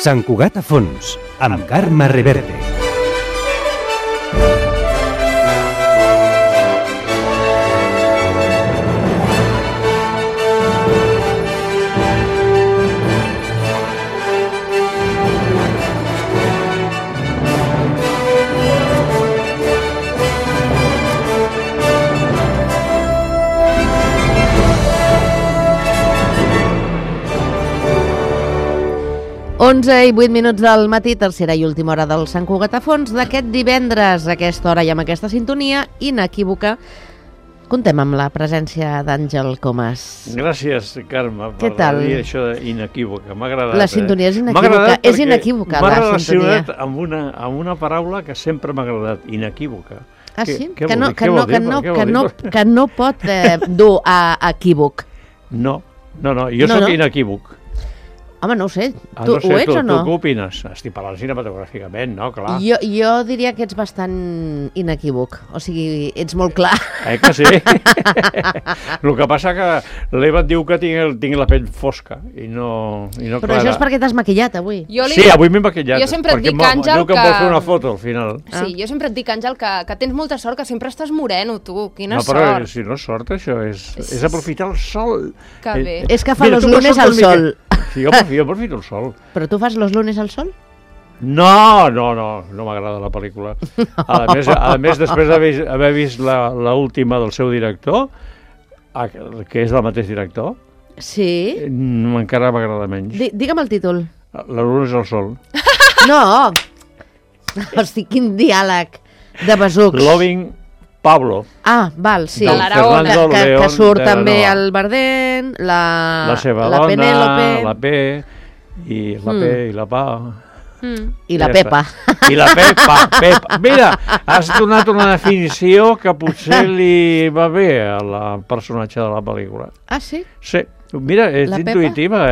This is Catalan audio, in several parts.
Sant Cugat a fons, amb Carme Reverte. Onze i 8 minuts del matí, tercera i última hora del Sant Cugat a fons d'aquest divendres, a aquesta hora i amb aquesta sintonia inequívoca. Contem amb la presència d'Àngel Comas. Gràcies, Carme, Què tal? dir això inequívoca. M'ha agradat. La sintonia és inequívoca. És inequívoca, la sintonia. M'ha relacionat amb una paraula que sempre m'ha agradat, inequívoca. Ah, sí? Què vol dir? Que no pot dur a equívoc. No, jo soc inequívoc. Home, no ho sé. Tu ho ets o no? Tu què opines? Estic parlant cinematogràficament, no? Clar. Jo diria que ets bastant inequívoc. O sigui, ets molt clar. Que sí? El que passa que l'Eva et diu que tinc la pell fosca i no Però clara. això és perquè t'has maquillat avui. Sí, avui m'he maquillat. Jo sempre et dic, Àngel, diu que em vol fer una foto al final. Sí, jo sempre et dic, Àngel, que tens molta sort, que sempre estàs moreno, tu. Quina sort. No, però si no és sort, això és aprofitar el sol. Que bé. És que fa los lunes al sol. Sí, jo aprofito el sol. Però tu fas los lunes al sol? No m'agrada la pel·lícula. A més, després d'haver vist l'última del seu director, que és del mateix director, sí, encara m'agrada menys. Digue'm el títol. La luna és el sol. No! Hosti, quin diàleg de besucs. Loving Pablo. Ah, val, sí. Que surt també el Bardén, la seva dona, Penélope, la P, i la P i la Pa. I la Pepa. I la Pepa. Mira, has donat una definició que potser li va bé al personatge de la pel·lícula. Ah, sí? Sí. Mira, és intuïtiva,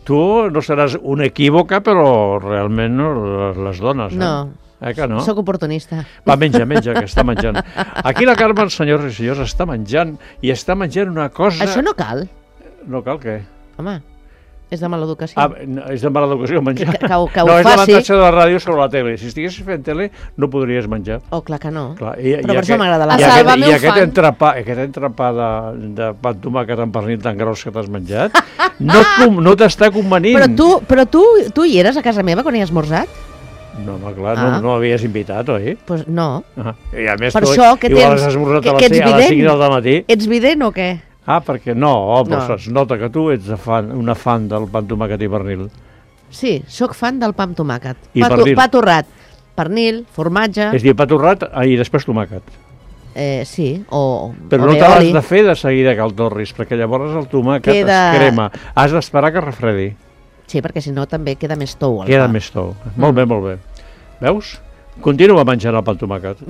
Tu no seràs una equívoca, però realment les dones. No. Que no? Soc oportunista. Va, menja, que està menjant. Aquí la Carme, senyors i senyors, està menjant, i està menjant una cosa... Això no cal. No cal què? Home, és de mala educació. És de mala educació menjar. Que ho no, és faci. l'avantatge de la ràdio sobre la tele. Si estiguessis fent tele, no podries menjar. Oh, clar que no. Clar, però per això m'agrada la ràdio. I aquest entrepà de pa amb tomàquet amb pernil tan gros que t'has menjat, no t'està convenint. Però tu hi eres a casa meva quan hi has esmorzat? No, clar, no m'havies invitat, oi? Pues no. I a més, per això que igual has esmorzat a les 5 del matí. Ets vident o què? Perquè però es nota que tu ets una fan del pa amb tomàquet i pernil. Sí, sóc fan del pa amb tomàquet. I pernil. Pa torrat, pernil, formatge... És dir, pa torrat i després tomàquet. Sí, però no te l'has de fer de seguida que el torris, perquè llavors el tomàquet es crema. Has d'esperar que refredi. Sí, perquè si no també queda més tou. Queda més tou. Molt bé. Veus? Continua menjant el pa amb tomàquet.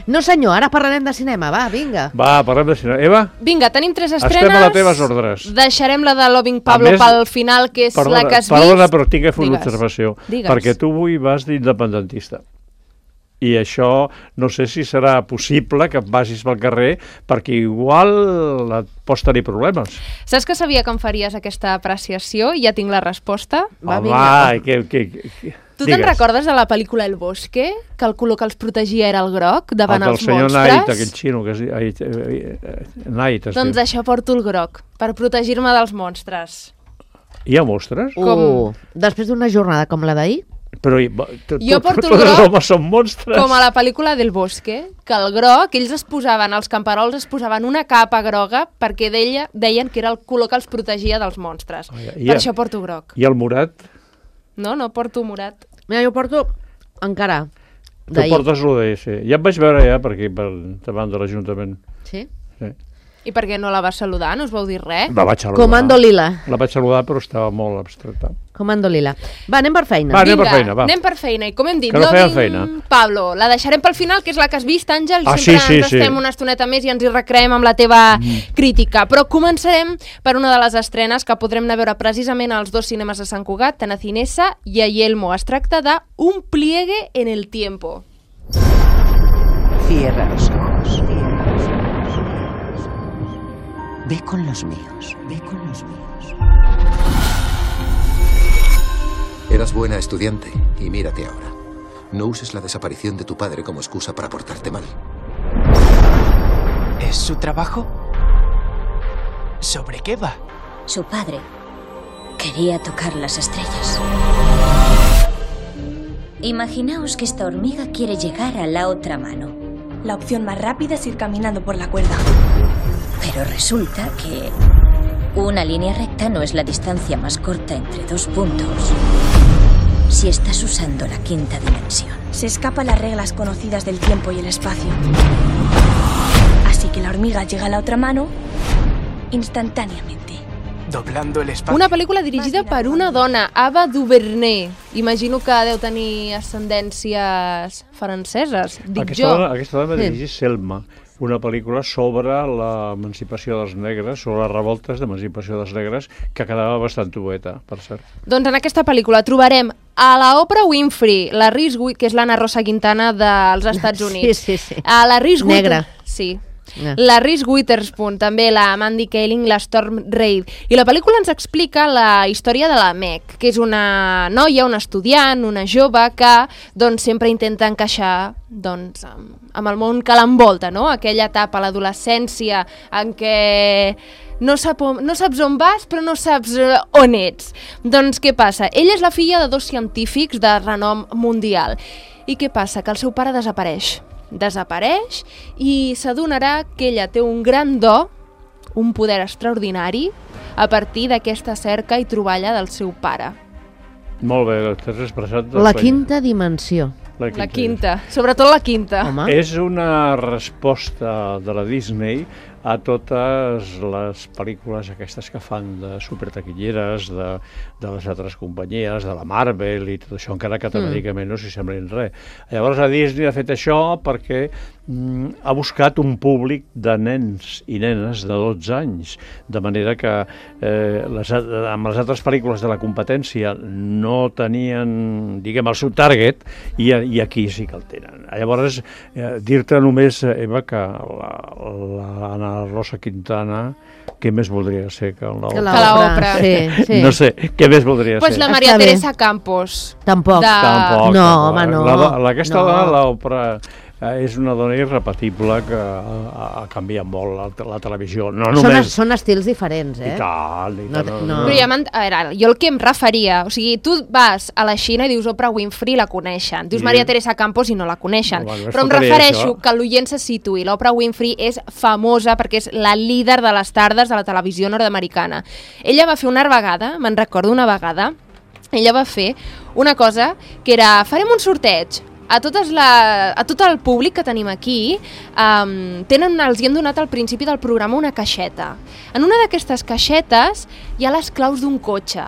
No senyor, ara parlarem de cinema, va, vinga. Va, parlem de cinema. Eva? Vinga, tenim 3 estrenes. Estem a les teves ordres. Deixarem la de Loving Pablo pel final, que és la que has vist. Perdona, però tinc que fer una observació. Perquè tu avui vas d'independentista. I això no sé si serà possible que vagis pel carrer, perquè igual et pots tenir problemes. Saps que sabia que em faries aquesta apreciació? Ja tinc la resposta. Tu te'n recordes de la pel·lícula El Bosque? Que el color que els protegia era el groc davant els monstres? El senyor Knight, aquell xino que es diu Knight. Doncs això porto el groc, per protegir-me dels monstres. Hi ha monstres? Després d'una jornada com la d'ahir? Però jo porto el groc homes són monstres. Com a la pel·lícula del Bosque, que el groc, ells els camperols es posaven una capa groga perquè deien que era el color que els protegia dels monstres. Per això porto groc. I el morat? No porto morat. Mira, jo porto encara d'ahir. Tu portes l'ODS. Ja et vaig veure per aquí, davant de l'Ajuntament. Sí? Sí. I per què no la vas saludar? No us vau dir res? La vaig saludar. Comando Lila. La vaig saludar, però estava molt abstracta. Comando Lila. Va, anem per feina. Va, anem per feina. I com hem dit, Loving Pablo, la deixarem pel final, que és la que has vist, Àngel, i sempre ens estem una estoneta més i ens hi recreem amb la teva crítica. Però començarem per una de les estrenes que podrem anar a veure precisament als 2 cinemes de Sant Cugat, tant a Cinesa i a Yelmo. Es tracta de Un pliegue en el tiempo. Cierra los ojos. Ve con los míos. Eras buena estudiante y mírate ahora. No uses la desaparición de tu padre como excusa para portarte mal. ¿Es su trabajo? ¿Sobre qué va? Su padre quería tocar las estrellas. Imaginaos que esta hormiga quiere llegar a la otra mano. La opción más rápida es ir caminando por la cuerda. Pero resulta que una línea recta no es la distancia más corta entre dos puntos si estás usando la quinta dimensión. Se escapa a las reglas conocidas del tiempo y el espacio. Así que la hormiga llega a la otra mano instantáneamente. Doblando el espacio. Una pel·lícula dirigida per una dona, Ava DuVernay. Imagino que deu tenir ascendències franceses, dic jo. Aquesta dona dirigeix Selma, una pel·lícula sobre l'emancipació dels negres, sobre les revoltes d'emancipació dels negres, que quedava bastant tueta, per cert. Doncs en aquesta pel·lícula trobarem a la Oprah Winfrey, la Reese Witherspoon, que és la Rosa Quintana dels Estats Units. Sí. A la Reese Negra. Sí. La Reese Witherspoon, també la Mandy Kaling, la Storm Reid. I la pel·lícula ens explica la història de la Meg, que és una noia, una estudiant, una jove que doncs, sempre intenta encaixar doncs, amb el món que l'envolta, no? Aquella etapa, l'adolescència, en què no saps on vas, però no saps on ets. Doncs què passa? Ella és la filla de 2 científics de renom mundial. I què passa? Que el seu pare desapareix i s'adonarà que ella té un gran do, un poder extraordinari, a partir d'aquesta cerca i troballa del seu pare. Molt bé, t'has expressat... La quinta dimensió. La quinta, sobretot la quinta. Home. És una resposta de la Disney a totes les pel·lícules aquestes que fan de supertaquilleres, de les altres companyies, de la Marvel i tot això, encara que temàticament no s'hi semblin res. Llavors la Disney ha fet això perquè ha buscat un públic de nens i nenes de 12 anys, de manera que amb les altres pel·lícules de la competència no tenien, diguem, el seu target, i aquí sí que el tenen. Llavors, dir-te només, Eva, que l'Anna Rosa Quintana, què més voldria ser que l'Oprah? Sí. No sé, què més voldria ser? La Maria Teresa Campos. Tampoc. No, home, no. Aquesta dona, l'Oprah, és una dona irrepetible que ha canviat molt la televisió. No només... Són estils diferents, eh? I tal. No. Però a veure, jo el que em referia, o sigui, tu vas a la Xina i dius Oprah Winfrey, la coneixen. Dius Maria Teresa Campos i no la coneixen. Però em refereixo que l'oient se situï. L'Oprah Winfrey és famosa perquè és la líder de les tardes de la televisió nord-americana. Ella va fer una vegada, me'n recordo una vegada, ella va fer una cosa que era, farem un sorteig. A tot el públic que tenim aquí els hi hem donat al principi del programa una caixeta. En una d'aquestes caixetes hi ha les claus d'un cotxe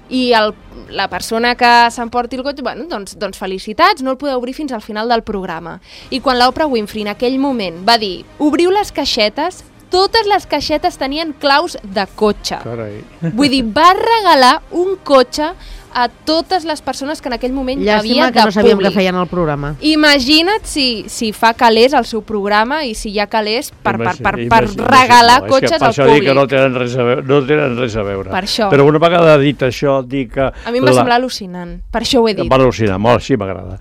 i la persona que s'emporti el cotxe, bueno, doncs felicitats, no el podeu obrir fins al final del programa. I quan l'Oprah Winfrey en aquell moment va dir obriu les caixetes, totes les caixetes tenien claus de cotxe. Carai. Vull dir, va regalar un cotxe a totes les persones que en aquell moment havia de públic. Llàstima que no sabíem que feien el programa. Imagina't si fa calés el seu programa i si hi ha calés per regalar cotxes al públic. Per això dic que no tenen res a veure. Per això. Però una vegada dit això, dic que... A mi em va semblar al·lucinant, per això ho he dit. Va al·lucinar, molt, sí, m'agrada.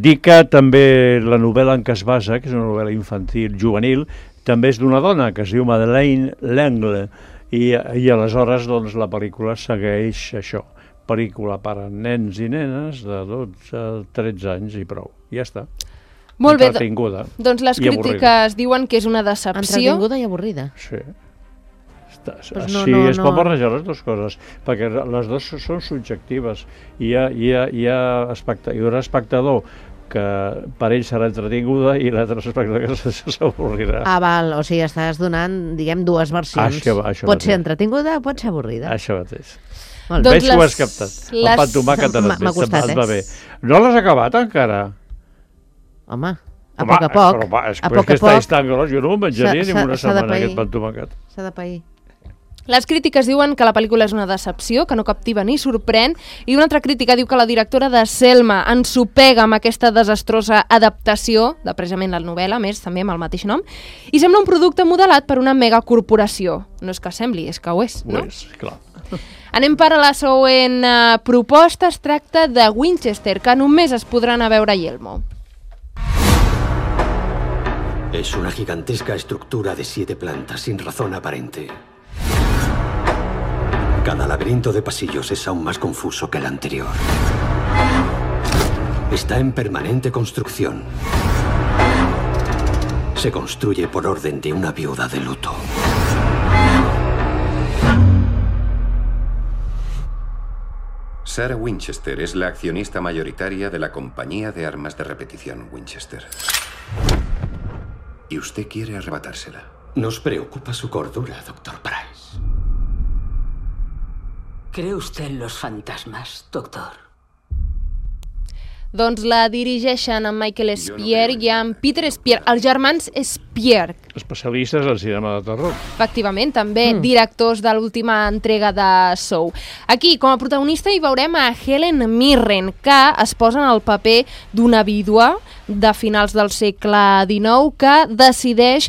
Dic que també la novel·la en què es basa, que és una novel·la infantil, juvenil, també és d'una dona que es diu Madeleine L'Engle, i aleshores doncs, la pel·lícula segueix això. Pel·lícula per a nens i nenes de 12 a 13 anys i prou. Ja està. Molt bé. Entretinguda. Doncs les crítiques diuen que és una decepció. Entretinguda i avorrida. Sí. Es pot barrejar les dues coses, perquè les dues són subjectives. Hi ha espectador que per ell serà entretinguda i l'altre espectador que s'avorrirà. Val, o sigui, estàs donant, diguem, dues versions. Pot ser entretinguda o pot ser avorrida. Això mateix. Veig que ho has captat. El pa amb tomàquet et va bé. No l'has acabat encara? Home, a poc a poc. A poc a poc. Jo no ho menjaria ni una setmana, aquest pa amb tomàquet. S'ha de pair. Les crítiques diuen que la pel·lícula és una decepció, que no captiva ni sorprèn, i una altra crítica diu que la directora de Selma ensopega amb aquesta desastrosa adaptació, de precisament la novel·la, més també amb el mateix nom, i sembla un producte modelat per una megacorporació. No és que sembli, és que ho és, no? Ho és, clar. Anem per a la següent proposta. Es tracta de Winchester, que només es podran a veure a Yelmo. Es una gigantesca estructura de 7 plantas sin razón aparente. Cada laberinto de pasillos es aún más confuso que el anterior. Está en permanente construcción. Se construye por orden de una viuda de luto. Sarah Winchester es la accionista mayoritaria de la compañía de armas de repetición Winchester. Y usted quiere arrebatársela. Nos preocupa su cordura, Dr. Price. ¿Cree usted en los fantasmas, doctor? Doncs la dirigeixen en Michael Spear i en Peter Spear, els germans Spear. Especialistes al cinema de terror. Efectivament, també directors de l'última entrega de Saw. Aquí, com a protagonista, hi veurem a Helen Mirren, que es posa en el paper d'una vídua de finals del segle XIX que decideix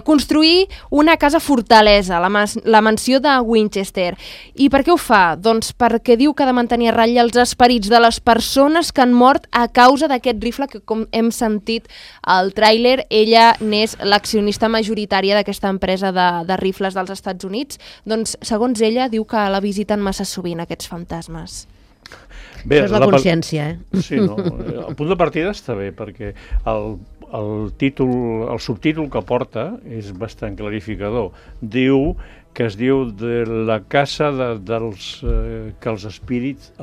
construir una casa fortalesa, la mansió de Winchester. I per què ho fa? Doncs perquè diu que ha de mantenir a ratlla els esperits de les persones que han mort a causa d'aquest rifle que, com hem sentit al tràiler, ella n'és l'accionista majoritària d'aquesta empresa de rifles dels Estats Units. Doncs, segons ella, diu que la visiten massa sovint aquests fantasmes. Bé, això és la consciència, Sí, no? El punt de partida està bé, perquè el subtítol que porta és bastant clarificador. Diu que es diu de la casa que els esperits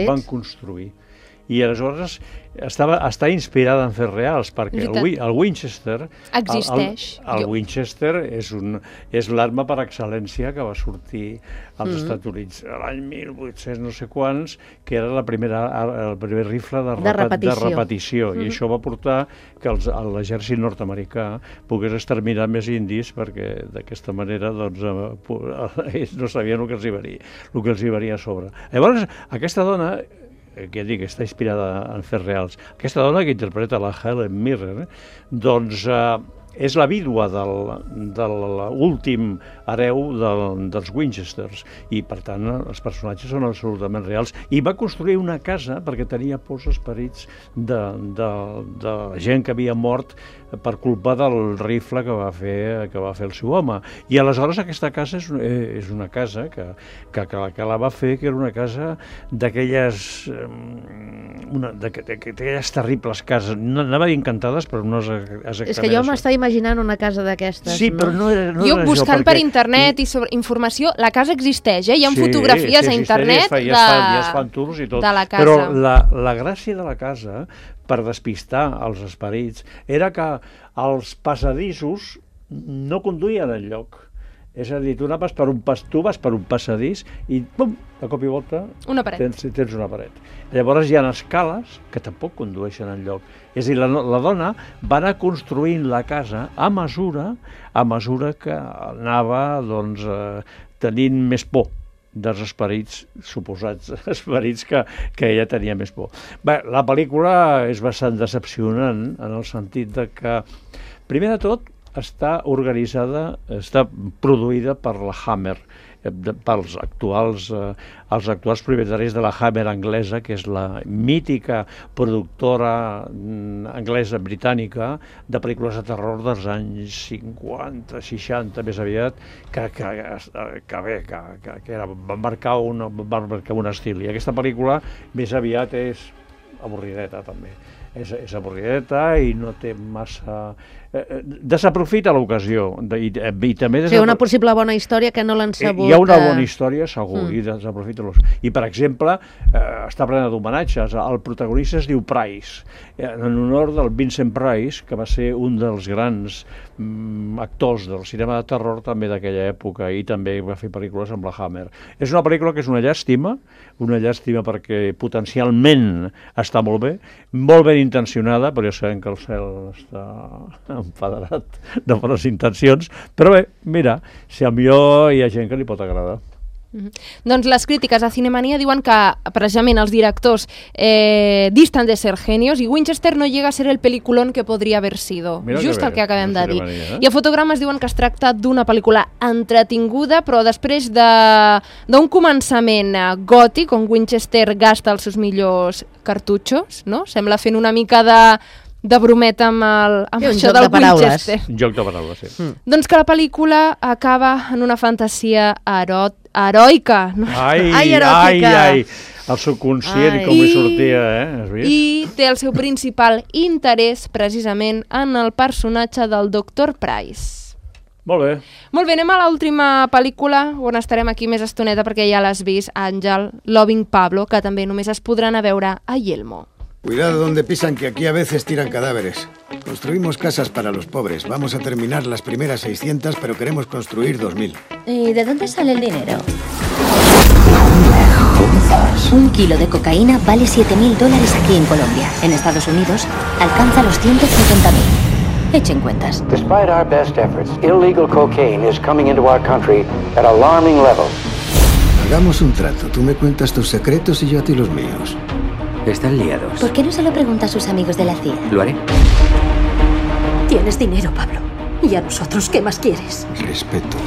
van construir. I aleshores està inspirada en fets reals, perquè el Winchester existeix. El Winchester és l'arma per excel·lència que va sortir als Estats Units l'any 1800 no sé quants, que era el primer rifle de repetició. I això va portar que l'exèrcit nord-americà pogués exterminar més indis, perquè d'aquesta manera ells no sabien el que els hi venia a sobre. Llavors, aquesta dona, que ja dic, està inspirada en fets reals. Aquesta dona que interpreta la Helen Mirren, doncs és la vídua de l'últim hereu dels Winchesters i, per tant, els personatges són absolutament reals. I va construir una casa perquè tenia pors esperits de gent que havia mort per culpa del rifle que va fer el seu home. I aleshores aquesta casa és una casa que la va fer, que era una casa d'aquelles terribles cases, no anava encantades, però no és que jo m'estava imaginant una casa d'aquestes. Sí, però no era jo buscant per internet i sobre informació, la casa existeix, hi ha fotografies a internet i es fan tours i tot. De la casa. Però la gràcia de la casa, per despistar els esperits, era que els passadissos no conduïen enlloc. És a dir, tu vas per un passadís i, pum, de cop i volta tens una paret. Llavors hi ha escales que tampoc condueixen enlloc. És a dir, la dona va anar construint la casa a mesura que anava tenint més por dels esperits, suposats esperits que ella tenia més por. Bé, la pel·lícula és bastant decepcionant en el sentit de que, primer de tot, està produïda per la Hammer, pels actuals propietaris de la Hammer anglesa, que és la mítica productora anglesa britànica de pel·lícules de terror dels anys 50, 60, més aviat, que va marcar un estil. I aquesta pel·lícula més aviat és avorrideta, també. És avorrideta i no té massa... desaprofita l'ocasió. Una possible bona història que no l'han sabut... Hi ha una bona història, segur, i desaprofita l'ocasió. I, per exemple, està plena d'homenatges. El protagonista es diu Price, en honor del Vincent Price, que va ser un dels grans actors del cinema de terror també d'aquella època, i també va fer pel·lícules amb la Hammer. És una pel·lícula que és una llàstima perquè potencialment està molt ben intencionada, però ja sabem que el cel està enfadarat de bones intencions, però bé, mira, si a millor hi ha gent que li pot agradar. Doncs les crítiques a Cinemania diuen que precisament els directors distan de ser genios y Winchester no llega a ser el peliculón que podria haver sido. Just el que acabem de dir. I a Fotogrames diuen que es tracta d'una pel·lícula entretinguda, però després d'un començament gòtic, on Winchester gasta els seus millors cartutxos, no? Sembla fent una mica de brometa amb això del Winchester. Un joc de paraules, sí. Doncs que la pel·lícula acaba en una fantasia heroica. No? Ai, el subconscient com li sortia, has vist? I té el seu principal interès precisament en el personatge del Dr. Price. Molt bé. Molt bé, anem a l'última pel·lícula on estarem aquí més estoneta perquè ja l'has vist, Àngel, Loving Pablo, que també només es podran a veure a Yelmo. Cuidado donde pisan, que aquí a veces tiran cadáveres. Construimos casas para los pobres. Vamos a terminar las primeras 600, pero queremos construir 2000. ¿Y de dónde sale el dinero? Un kilo de cocaína vale $7.000 aquí en Colombia. En Estados Unidos alcanza los 150.000. Echen cuentas. Despite our best efforts, illegal cocaine is coming into our country at alarming levels. Hagamos un trato. Tú me cuentas tus secretos y yo a ti los míos. Están liados. ¿Por qué no se lo pregunta a sus amigos de la CIA? Lo haré. Tienes dinero, Pablo. ¿Y a nosotros qué más quieres? Respeto.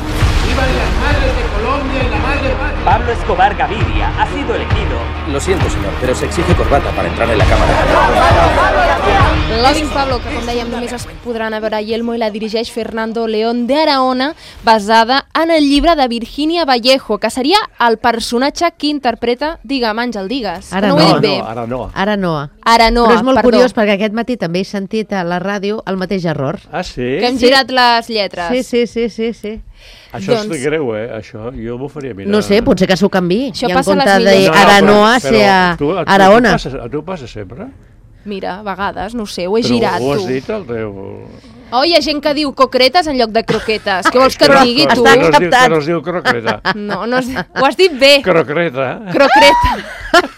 ¡Viva las madres de Colombia y la madre! Pablo Escobar Gaviria ha sido elegido. Lo siento, señor, pero se exige corbata para entrar en la cámara. Loving Pablo, que com dèiem només es podran veure a Yelmo, i la dirigeix Fernando León de Araona, basada en el llibre de Virginia Vallejo, que seria el personatge que interpreta, digue'm, Àngel, digues. Aranoa. Però és molt curiós perquè aquest matí també he sentit a la ràdio el mateix error. Ah, sí? Que hem girat les lletres. Sí. Això és greu, Això jo m'ho faria mirar. No sé, potser que s'ho canvi. Això I passa en a les compte d'Aranoa ser Araona. A tu passa sempre? Mira, a vegades, no sé, ho he girat, tu. Però ho has dit, el teu... Oh, hi ha gent que diu croquetes en lloc de croquetes. Què vols que et digui, tu? Està acceptat. Que no es diu croqueta. No, ho has dit bé. Croqueta.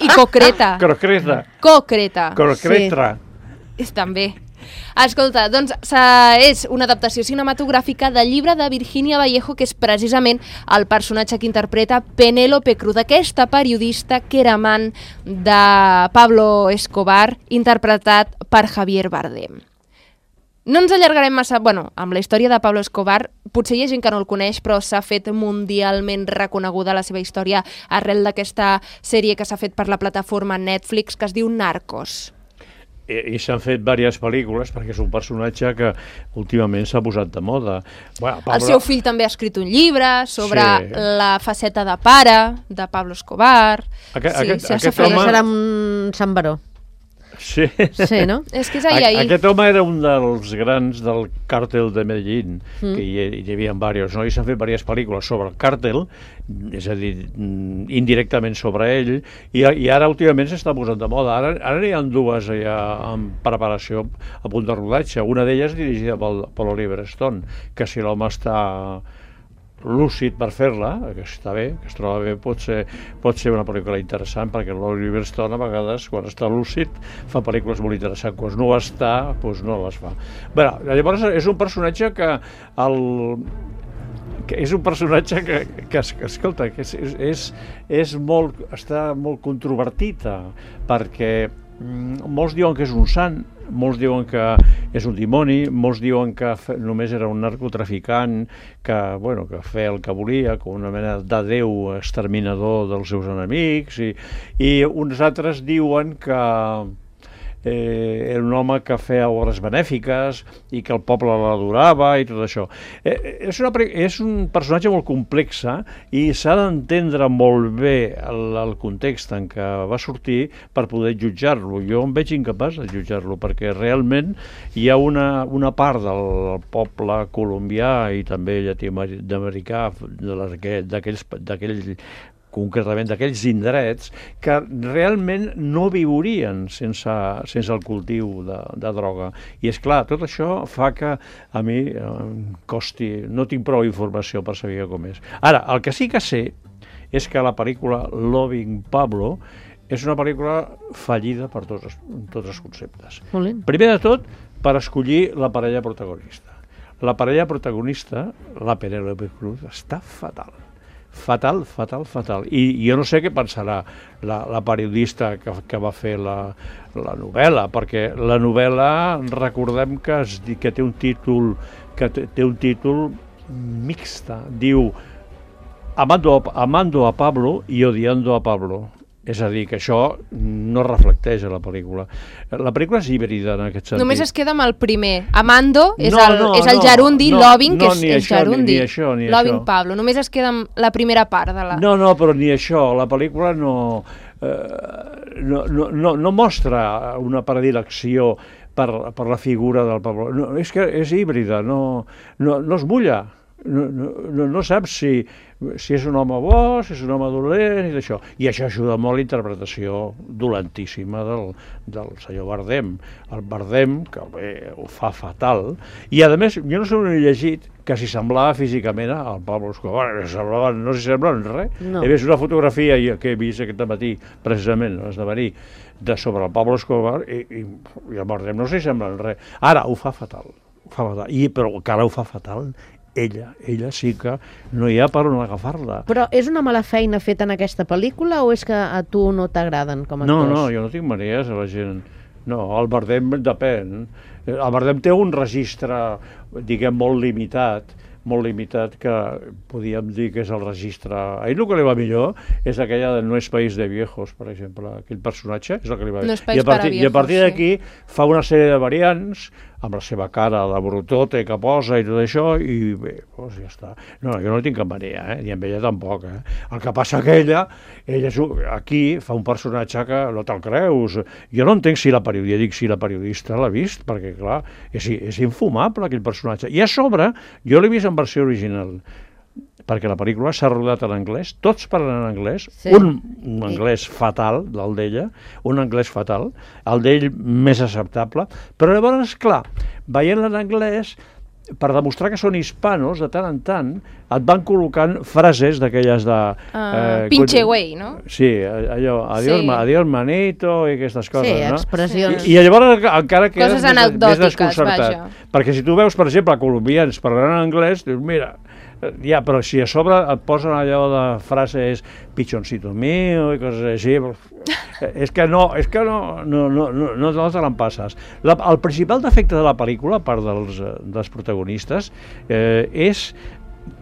I concreta. Concreta. Concreta. Sí. També. Escolta, doncs és una adaptació cinematogràfica del llibre de Virginia Vallejo, que és precisament el personatge que interpreta Penélope Cruz, aquesta periodista que era amant de Pablo Escobar, interpretat per Javier Bardem. No ens allargarem massa, amb la història de Pablo Escobar, potser hi ha gent que no el coneix, però s'ha fet mundialment reconeguda la seva història arrel d'aquesta sèrie que s'ha fet per la plataforma Netflix, que es diu Narcos. I s'han fet diverses pel·lícules perquè és un personatge que últimament s'ha posat de moda. El seu fill també ha escrit un llibre sobre la faceta de pare de Pablo Escobar. Aquest home... Serà un Sant Baró. Sí, no? És que és ahir. Aquest home era un dels grans del càrtel de Medellín, que hi havia diversos, no? I s'han fet diverses pel·lícules sobre el càrtel, és a dir, indirectament sobre ell, i ara últimament s'està posant de moda. Ara hi ha dues ja en preparació a punt de rodatge. Una d'elles dirigida per Oliver Stone, que si l'home està lúcid per fer-la, que està bé, que es troba bé, pot ser una pel·lícula interessant, perquè l'Oliver Stone a vegades, quan està lúcid, fa pel·lícules molt interessants. Quan no està, doncs no les fa. Bé, llavors és un personatge que escolta, que està molt controvertit, perquè molts diuen que és un sant, molts diuen que és un dimoni, molts diuen que només era un narcotraficant que feia el que volia, com una mena de déu exterminador dels seus enemics, i uns altres diuen que era un home que feia obres benèfiques i que el poble l'adorava i tot això. És un personatge molt complex i s'ha d'entendre molt bé el context en què va sortir per poder jutjar-lo. Jo em veig incapaç de jutjar-lo perquè realment hi ha una part del poble colombià i també llatinoamericà, concretament d'aquells indrets, que realment no viurien sense el cultiu de droga. I és clar, tot això fa que a mi costi, no tinc prou informació per saber com és. Ara, el que sí que sé és que la pel·lícula Loving Pablo és una pel·lícula fallida per tots els conceptes. Primer de tot, per escollir la parella protagonista. La parella protagonista, la Penélope Cruz, està fatal. fatal. I jo no sé què pensarà la periodista que va fer la novel·la, perquè la novel·la, recordem que té un títol mixta, diu Amando a Pablo y odiando a Pablo. És a dir, que això no reflecteix a la pel·lícula. La pel·lícula és híbrida en aquest sentit. Només es queda amb el primer. Amando és el gerundi, loving, que és gerundi. Loving Pablo. Només es queda amb la primera part de la... No, però ni això. La pel·lícula no mostra una predilecció per la figura del Pablo. No, és que és híbrida, no es mulla. No saps si és un home bo, si és un home dolent i d'això. I això ajuda molt la interpretació dolentíssima del senyor Bardem. El Bardem, que bé, ho fa fatal. I a més, jo no sé on he llegit que s'hi semblava físicament al Pablo Escobar. No s'hi sembla en res. No. He vist una fotografia que he vist aquest matí, precisament, esdevenir, sobre el Pablo Escobar i el Bardem no s'hi sembla en res. Ara, ho fa fatal. Però encara ho fa fatal ella sí que no hi ha per on agafar-la. Però és una mala feina feta en aquesta pel·lícula o és que a tu no t'agraden com a actors? No, jo no tinc manies a la gent. No, el Bardem depèn. El Bardem té un registre, diguem, molt limitat, que podíem dir que és el registre... A ell el que li va millor és aquella de No es país de viejos, per exemple. Aquell personatge és el que li va millor. No es país para viejos, i a partir d'aquí fa una sèrie de variants amb la seva cara de brutote que posa i tot això, i bé, doncs ja està. No, jo no tinc cap mania, ni amb ella tampoc. El que passa que ella aquí fa un personatge que no te'l creus. Jo no entenc si la periodista l'ha vist, perquè clar, és infumable aquell personatge. I a sobre, jo l'he vist en versió original, perquè la pel·lícula s'ha rodat en anglès, tots parlen en anglès, un anglès fatal, el d'ella, un anglès fatal, el d'ell més acceptable, però llavors, clar, veient-la en anglès, per demostrar que són hispanos, de tant en tant, et van col·locant frases d'aquelles de... pinche güey, no? Sí, allò, adiós manito i aquestes coses, no? Sí, expressions. I llavors encara quedes més desconcertat. Vaja. Perquè si tu veus, per exemple, colombians parlant en anglès, dius, mira, ja, però si a sobre et posen allò de frases pichoncito mío i coses així, és que no te l'empasses. El principal defecte de la pel·lícula, a part dels protagonistes, és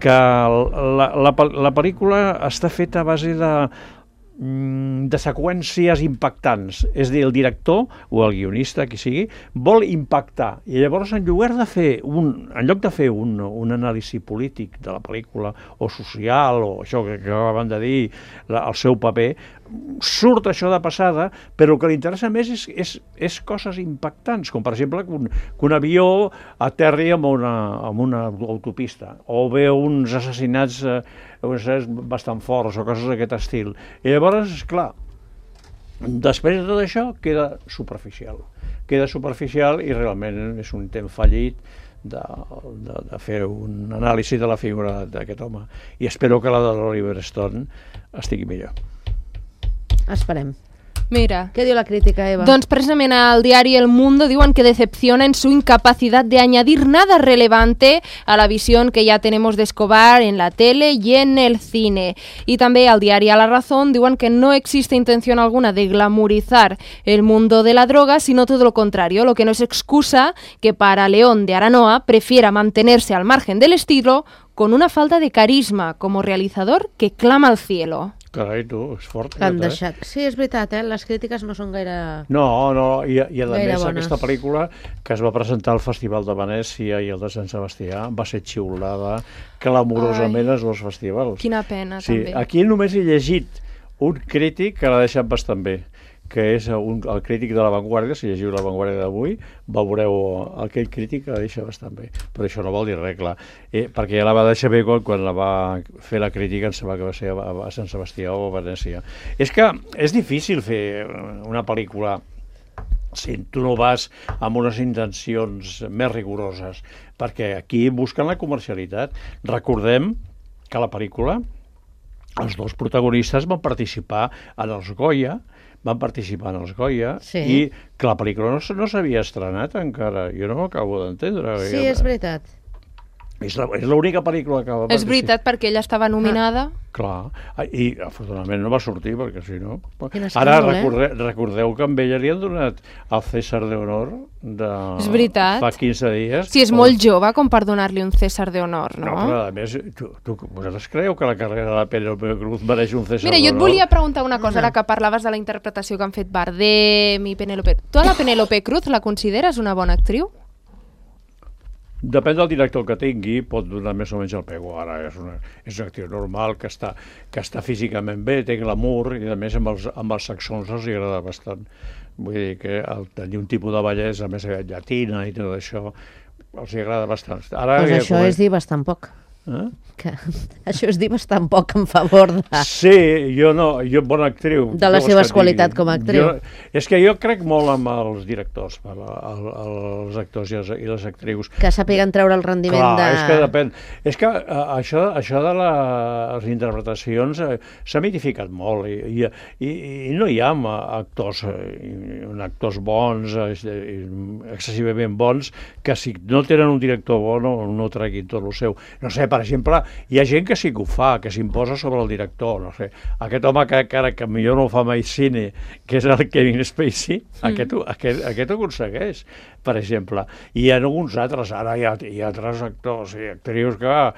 que la pel·lícula està feta a base de seqüències impactants. És a dir, el director o el guionista, qui sigui, vol impactar. I llavors, en lloc de fer un anàlisi polític de la pel·lícula, o social, o això que acaben de dir, el seu paper, surt això de passada, però el que li interessa més és coses impactants, com per exemple que un avió aterri amb una autopista, o ve uns assassinats bastant forts, o coses d'aquest estil. I llavors, esclar, després de tot això queda superficial i realment és un intent fallit de fer un anàlisi de la figura d'aquest home. I espero que la de l'Oliver Stone estigui millor. Esperem. Mira. ¿Qué dio la crítica, Eva? Doncs precisament al diari El Mundo diuen que decepciona en su incapacidad de añadir nada relevante a la visión que ya tenemos de Escobar en la tele y en el cine. Y también al diario A La Razón diuen que no existe intención alguna de glamorizar el mundo de la droga, sino todo lo contrario, lo que no es excusa que para León de Aranoa prefiera mantenerse al margen del estilo con una falta de carisma como realizador que clama al cielo. Carai, tu, és fort. Sí, és veritat, les crítiques no són gaire... No, i a més bones. Aquesta pel·lícula que es va presentar al Festival de Venècia i el de Sant Sebastià va ser xiulada clamorosament als dos festivals. Quina pena, sí, també. Aquí només he llegit un crític que l'ha deixat bastant bé, que és el crític de La Vanguardia. Si llegiu La Vanguardia d'avui, veureu aquell crític que la deixa bastant bé. Però això no vol dir res, clar. Perquè ja la va deixar bé quan la va fer la crítica, em sembla que va ser a Sant Sebastià o a Venècia. És que és difícil fer una pel·lícula si tu no vas amb unes intencions més rigoroses, perquè aquí busquen la comercialitat. Recordem que la pel·lícula, els dos protagonistes van participar en els Goya, i que la pel·lícula no s'havia estrenat encara. Jo no m'ho acabo d'entendre. Sí, és veritat. És l'única pel·lícula que va... És veritat, perquè ella estava nominada. Clar, i afortunadament no va sortir, perquè si no... Ara recordeu que amb ella li han donat el César de Honor és veritat. Fa 15 dies. Sí, és molt jove com per donar-li un César de Honor, no? No, però a més, vosaltres creu que la carrera de Penélope Cruz mereix un César de Honor? Mira, jo et volia preguntar una cosa, ara que parlaves de la interpretació que han fet Bardem i Penélope. Tu a la Penélope Cruz la consideres una bona actriu? Depèn del director que tingui, pot donar més o menys el pego. Ara és una actriu normal, que està físicament bé, té glamour, i a més amb els saxons els agrada bastant. Vull dir que tenir un tipus de bellesa més llatina i tot això els agrada bastant. Doncs això és dir bastant poc. Que això és dir bastant poc en favor de... Sí, jo bona actriu. De les seves qualitats com a actriu. És que jo crec molt amb els directors, els actors i les actrius. Que sàpiguen treure el rendiment de... Clar, és que depèn. És que això de les interpretacions s'ha mitificat molt i no hi ha actors bons, excessivament bons, que si no tenen un director bo no treguin tot el seu. No sé, per exemple, hi ha gent que sí que ho fa, que s'imposa sobre el director, no sé. Aquest home que millor no fa mai cine, que és el Kevin Spacey, aquest ho aconsegueix, per exemple. I hi ha alguns altres, ara hi ha altres actors i actrius que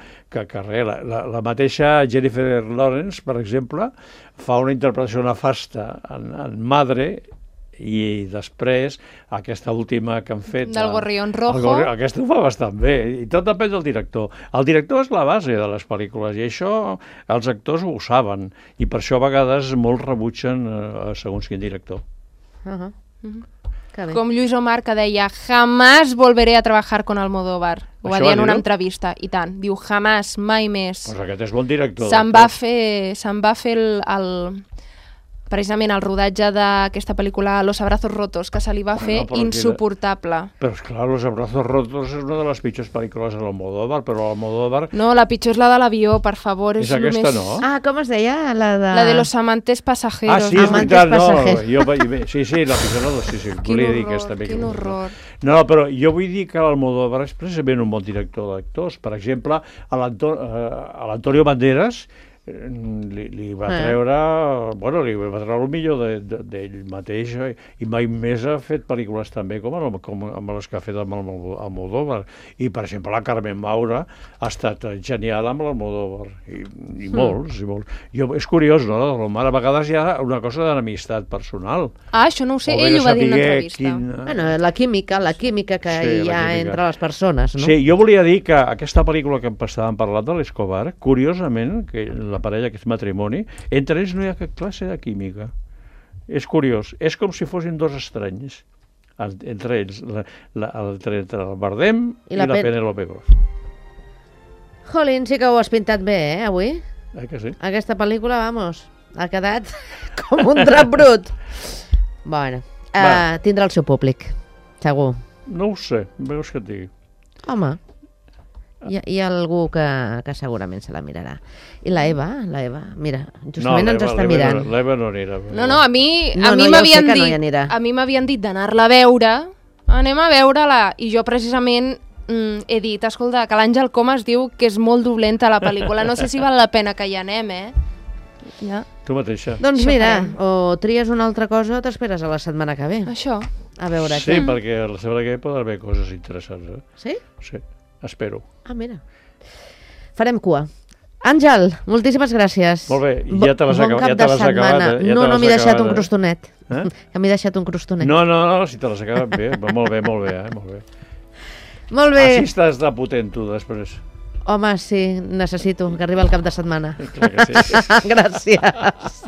la mateixa Jennifer Lawrence, per exemple, fa una interpretació nefasta en Madre, i després aquesta última que han fet del Gorrión Rojo, aquesta ho fa bastant bé, i tot depèn del director. El director és la base de les pel·lícules i això els actors ho saben, i per això a vegades molts rebutgen segons quin director. Com Lluís Omar, que deia jamás volveré a trabajar con Almodóvar, ho va dir en una entrevista, i tant, diu jamás, mai més. Pues aquest és bon director. Se'n va fer precisament el rodatge d'aquesta pel·lícula Los abrazos rotos, que se li va fer insuportable. Però esclar, Los abrazos rotos és una de les pitjors pel·lícules de l'Almodóvar, però l'Almodóvar... No, la pitjor és la de l'avió, per favor. És aquesta, no? Ah, com es deia? La de Los amantes pasajeros. Ah, sí, és veritat, no. Sí, la pitjor no, sí, volia dir aquesta. Quin horror. No, però jo vull dir que l'Almodóvar és precisament un bon director d'actors. Per exemple, a l'Antonio Banderas li va treure el millor d'ell mateix, i mai més ha fet pel·lícules també com les que ha fet amb Almodóvar. I per exemple la Carmen Maura ha estat genial amb l'Almodóvar, i molts. És curiós, no? A vegades hi ha una cosa d'amistat personal. Ah, això no ho sé, ell ho va dir en una entrevista. Bueno, la química que hi ha entre les persones, no? Sí, jo volia dir que aquesta pel·lícula que estàvem parlant de l'Escobar, curiosament, que la parella, que és matrimoni, entre ells no hi ha cap classe de química. És curiós. És com si fossin dos estranys. Entre ells, entre el Bardem i la Penélope Cruz. Jolín, sí que ho has pintat bé, avui? Que sí? Aquesta pel·lícula, vamos, ha quedat com un drap brut. Bueno, tindrà el seu públic, segur. No ho sé, veus que et digui. Home, hi ha algú que segurament se la mirarà. I la Eva, mira, justament ens està mirant. L'Eva no anirà. No, a mi m'havien dit d'anar-la a veure, anem a veure-la, i jo precisament he dit, escolta, que l'Àngel Comas diu que és molt dolenta la pel·lícula, no sé si val la pena que hi anem, Ja. Tu mateixa. Doncs mira, o tries una altra cosa o t'esperes a la setmana que ve. Això. A veure què. Sí, perquè la setmana que ve pot haver coses interessants. Sí? Sí. Espero. Ah, mira. Farem cua. Àngel, moltíssimes gràcies. Molt bé, ja te l'has acabat. Bon cap de setmana. No m'he deixat un crostonet. Que m'he deixat un crostonet. No, si te l'has acabat bé. Molt bé. Molt bé. Així estàs de potent, tu, després. Home, sí, necessito que arribi el cap de setmana. Clar que sí. Gràcies.